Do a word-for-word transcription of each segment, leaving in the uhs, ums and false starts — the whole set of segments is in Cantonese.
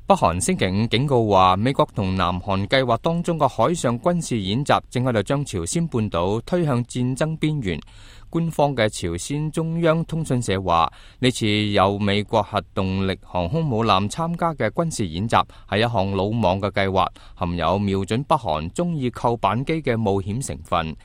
北韓星期五警告話，美國同南韓計劃當中嘅海上軍事演習正喺度將朝鮮半島推向戰爭邊緣。官方嘅朝鮮中央通訊社話，呢次由美國核動力航空母艦參加嘅軍事演習係一項魯莽嘅計劃，含有瞄準北韓中意扣扳機嘅冒險成分。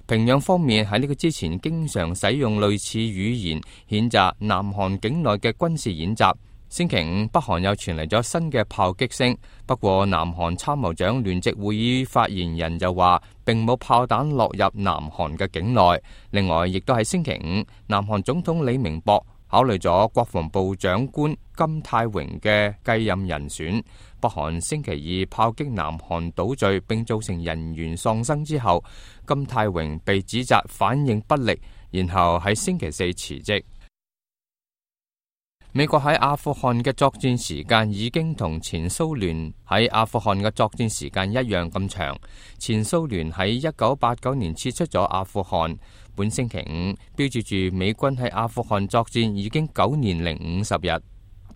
平壤方面喺呢個之前經常使用類似語言譴責南韓境內嘅軍事演習。星期五，北韓又傳嚟咗新嘅炮擊聲，不過南韓參謀長聯席會議發言人就話並冇炮彈落入南韓嘅境內。另外，亦都喺星期五，南韓總統李明博考慮咗國防部長官金泰榮嘅繼任人選。北韓星期二炮擊南韓島嶼並造成人員喪生之後，金泰榮被指責反應不力，然後喺星期四辭職。美國喺阿富汗嘅作戰時間已經同前蘇聯喺阿富汗嘅作戰時間一樣咁長。前蘇聯喺一九八九年撤出咗阿富汗，本星期五標誌住美軍喺阿富汗作戰已經九年零五十日。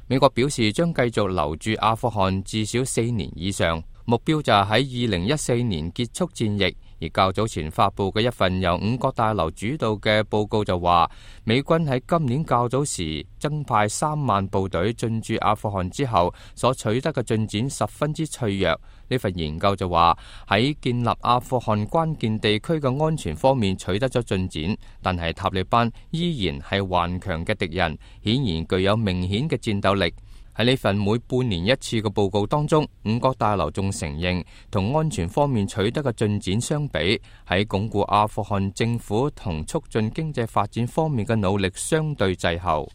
美國表示將繼續留住阿富汗至少四年以上，目標就係喺二零一四年結束戰役。而較早前發佈嘅一份由五角大樓主導嘅報告就話，美軍喺今年較早時增派三萬部隊進駐阿富汗之後，所取得嘅進展十分之脆弱。呢份研究就話，喺建立阿富汗關鍵地區嘅安全方面取得咗進展，但係塔利班依然係頑強嘅敵人，顯然具有明顯嘅戰鬥力。喺呢份每半年一次嘅報告當中，五角大樓仲承認同安全方面取得嘅進展相比，喺鞏固阿富汗政府同促進經濟發展方面嘅努力相對滯後。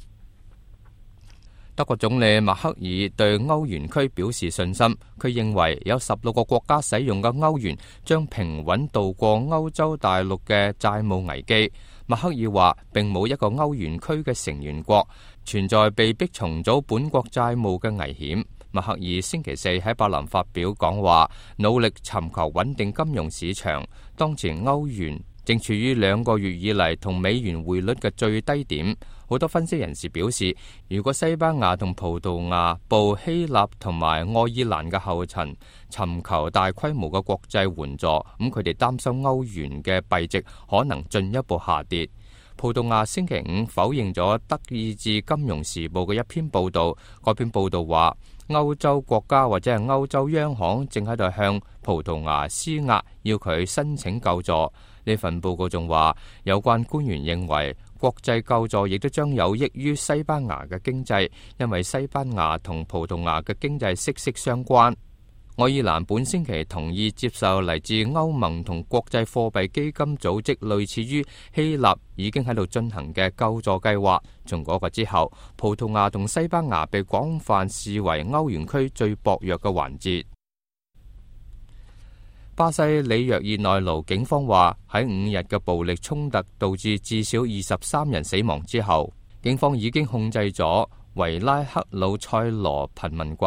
德國總理默克爾對歐元區表示信心，佢認為有十六個國家使用嘅歐元將平穩渡過歐洲大陸嘅債務危機。默克爾話並冇一個歐元區嘅成員國存在被迫重組本國債務嘅危險。默克爾星期四喺柏林發表講話，努力尋求穩定金融市場。當前歐元正處於兩個月以嚟同美元匯率嘅最低點。好多分析人士表示，如果西班牙同葡萄牙步希臘同埋愛爾蘭嘅後塵，尋求大規模嘅國際援助，咁佢哋擔心歐元嘅幣值可能進一步下跌。葡萄牙星期五否認咗德意志金融時報嘅一篇報道，嗰篇報道話歐洲國家或者係歐洲央行正喺度向葡萄牙施壓，要佢申請救助。呢份報告仲話，有關官員認為國際救助亦都將有益於西班牙嘅經濟，因為西班牙同葡萄牙嘅經濟息息相關。愛爾蘭本星期同意接受嚟自歐盟同國際貨幣基金組織類似於希臘已經喺度進行嘅救助計劃。從嗰個之後，葡萄牙同西班牙被廣泛視為歐元區最薄弱嘅環節。巴西里約熱內盧警方話，喺五日嘅暴力衝突導致至少二十三人死亡之後，警方已經控制咗維拉克魯塞羅貧民窟。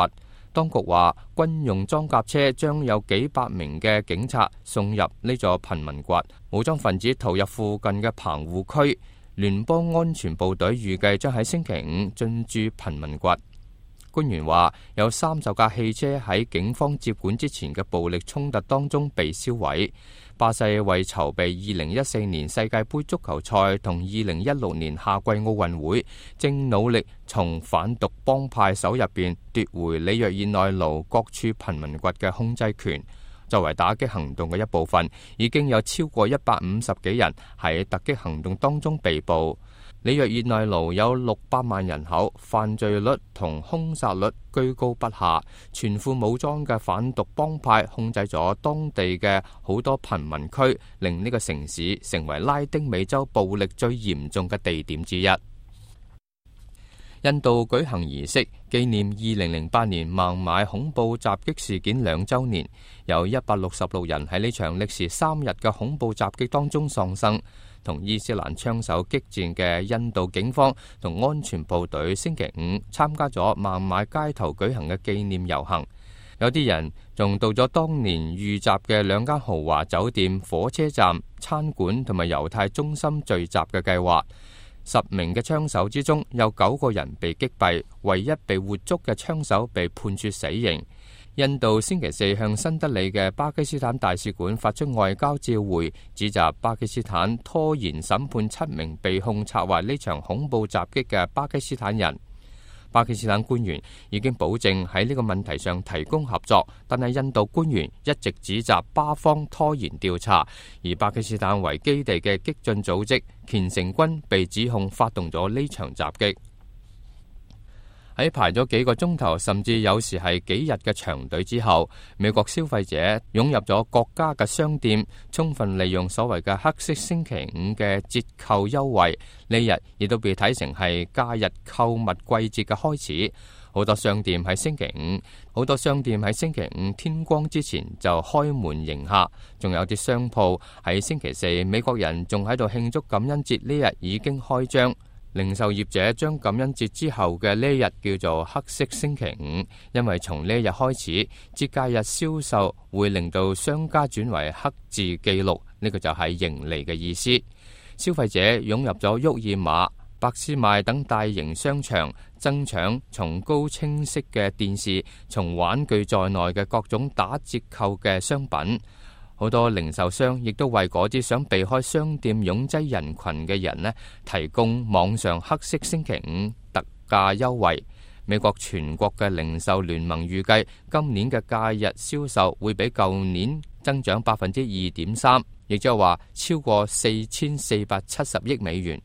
當局話，軍用裝甲車將有幾百名嘅警察送入呢座貧民窟，武裝分子逃入附近嘅棚戶區。聯邦安全部隊預計將喺星期五進駐貧民窟。官員話，有三十架汽車喺警方接管之前嘅暴力衝突當中被燒毀。巴西為籌備二零一四年世界盃足球賽同二零一六年夏季奧運會，正努力從反毒幫派手入邊奪回里約熱內盧各處貧民窟嘅控制權。作為打擊行動嘅一部分，已經有超過一百五十幾人喺突擊行動當中被捕。里約熱內盧有六百萬人口，犯罪率同兇殺率居高不下。全副武裝嘅反毒幫派控制咗當地嘅好多貧民區，令呢個城市成為拉丁美洲暴力最嚴重嘅地點之一。印度舉行儀式紀念二零零八年孟買恐怖襲擊事件兩週年，有一百六十六人喺呢場歷時三日嘅恐怖襲擊當中喪生。同伊斯蘭槍手激戰嘅印度警方同安全部隊星期五參加咗孟買街頭舉行嘅紀念遊行，有啲人仲到咗當年遇襲嘅兩間豪華酒店、火車站、餐館同埋猶太中心聚集嘅計劃。十名嘅槍手之中有九個人被擊斃，唯一被活捉嘅槍手被判處死刑。印度星期四向新德里嘅巴基斯坦大使館發出外交照會，指責巴基斯坦拖延審判七名被控策劃呢場恐怖襲擊嘅巴基斯坦人。巴基斯坦官員已經保證喺呢個問題上提供合作，但係印度官員一直指責巴方拖延調查，而巴基斯坦為基地嘅激進組織虔誠軍被指控發動咗呢場襲擊。喺排咗幾個鐘頭，甚至有時係幾日嘅長隊之後，美國消費者湧入咗各家嘅商店，充分利用所謂嘅黑色星期五嘅折扣優惠。呢日亦都被睇成係假日購物季節嘅開始。好多商店喺星期五，好多商店喺星期五天光之前就開門迎客，仲有啲商鋪喺星期四，美國人仲喺度慶祝感恩節，呢日已經開張。零售業者將感恩節之後嘅呢日叫做黑色星期五，因為從呢日開始，節假日銷售會令到商家轉為黑字記錄，呢個就係盈利嘅意思。消費者湧入咗沃爾瑪、百思買等大型商場，爭搶從高清晰嘅電視、從玩具在內嘅各種打折扣嘅商品。好多零售商亦都為嗰啲想避開商店擁擠人群嘅人呢，提供網上黑色星期五特價優惠。美國全國嘅零售聯盟預計今年嘅假日銷售會比舊年增長百分之二點三，亦即係話超過四千四百七十億美元。